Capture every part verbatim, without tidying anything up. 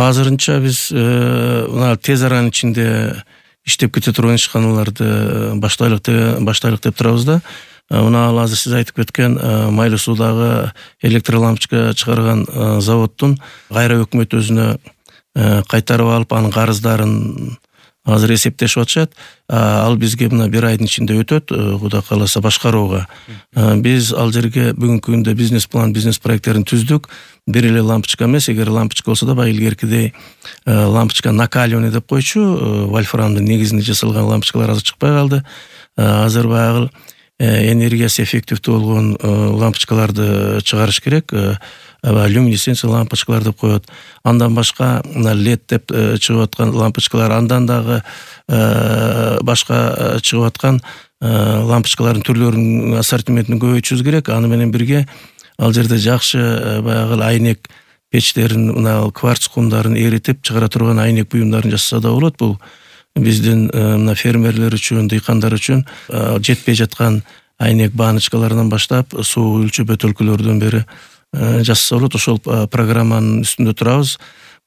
азырынча биз мына тез аранын ичинде иштеп кете турган ишканаларды баштайлык деп баштайлык деп турабыз да. Мына ал азыр сиз айтып кеткен Майлуу суудагы электролампочка чыгарган заводдун кайра өкмөт өзүнө кайтарып алып, анын карыздарын азыр эсептешип атышат. Ал бизге мына бир айдын ичинде өтөт, Кудай кааласа башкарууга. Биз ал жерге бүгүнкү күндө бизнес план, бизнес проекттерин түздүк. Бир эле лампочка эмес, эгер лампочка болсо да баягы илгеркидей лампочка накаливание деп койчу, вольфрамдын негизинде жасалган лампочкалар азыр чыкпай калды. Азыр баягы энергиясы эффективдүү болгон лампочкаларды чыгарыш керек. Люминесценция лампочкалар деп коет. Андан башка мына лед деп чыгып аткан лампочкалар, андан дагы башка чыгып аткан лампочкалардын түрлөрүнүн ассортиментин көбөйтүшүбүз керек. Аны менен бирге ал жерде жакшы баягы айнек печтерин, мына кварц кумдарын эритип чыгара турган айнек буюмдарын жасаса да болот. Бул биздин мына фермерлер үчүн, дыйкандар үчүн жетпей жаткан айнек баночкаларынан баштап суу өлчөп бөтөлкөлөрдөн бери жасаса болот. Ошол программанын үстүндө турабыз.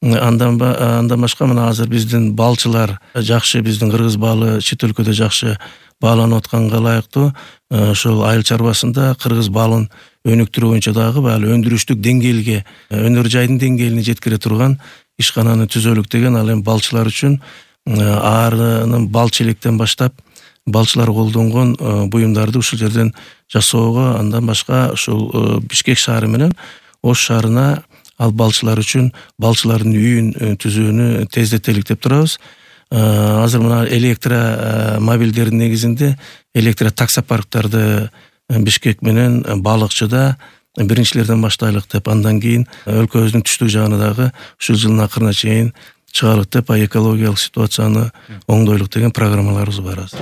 Андан андан башка мына азыр биздин балчылар жакшы, биздин кыргыз балы чет өлкөдө жакшы бааланып атканга ылайыктуу. Ошол айыл чарбасында кыргыз балын өнүктүрүү боюнча дагы баягы өндүрүштүк деңгээлге, өнөр жайдын деңгээлине жеткире турган ишкананы түзөлүк деген. Ал эми балчылар үчүн аарынын бал челектен баштап балчылар колдонгон буюмдарды ушул жерден жасоого, андан башка ушул Бишкек шаары менен Ош шаарына ал балчылар үчүн балчылардын үйүн түзүүнү тездетелик деп турабыз. Азыр мына электро мобилдердин негизинде электро таксопарктарды Бишкек менен Балыкчыда биринчилерден баштайлык деп, андан кийин өлкөбүздүн түштүк жагына дагы ушул жылдын акырына чейин чыгалык деп, экологиялык ситуацияны оңдойлук деген программаларыбыз бар азыр.